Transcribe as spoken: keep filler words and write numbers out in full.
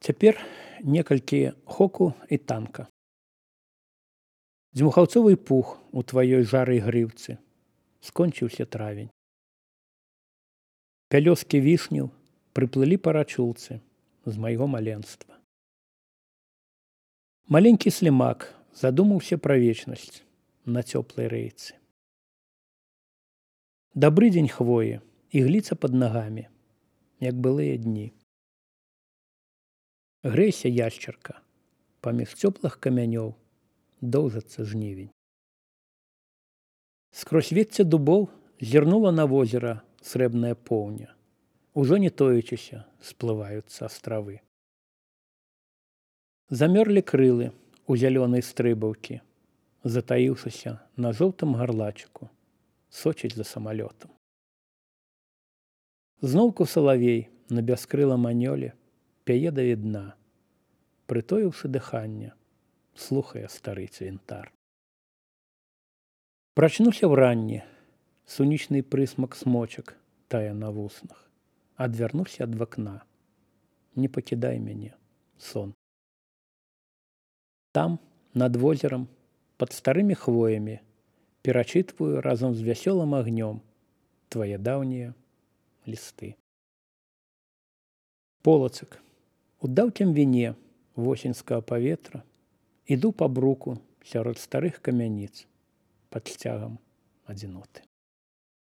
Цяпер некалькі хоку і танка. Дзьмухаўцовы пух у тваёй жарай грыўцы. Скончыўся травень. Пялёскі вішняў прыплылі па рачулцы з майго маленства. Маленькі слімак задумаўся пра вечнасць на цёплай рэйцы. Дабры дзень хвоі, ігліца пад нагамі, як былыя дні. Грэйся, яшчарка, паміж цёплых камянёў доўжыцца жнівень. Скрозь вецце дубоў зірнула на возера срэбная поўня. Ужо не тоячыся сплываюцца астравы. Замёрлі крылы у зялёнай стрыбаўкі, затаіўшыся на жоўтым гарлачыку, сочыць за самалётам. Зноўку салавей на бяскрылам анёле пяе да відна, прытоіўшы дыханне, слухае стары цвінтар. Прачнуся ўранні, сонечны прысмак смочак тае на вуснах, адвярнуся ад вакна. Не пакідай мяне, сон. Там, над возерам, пад старымі хвоямі, перачытваю разам з вясёлым агнём твае даўнія лісты. Полацак, у даўкім віне восеньскага паветра іду па бруку сярод старых камяніц пад сцягам адзіноты.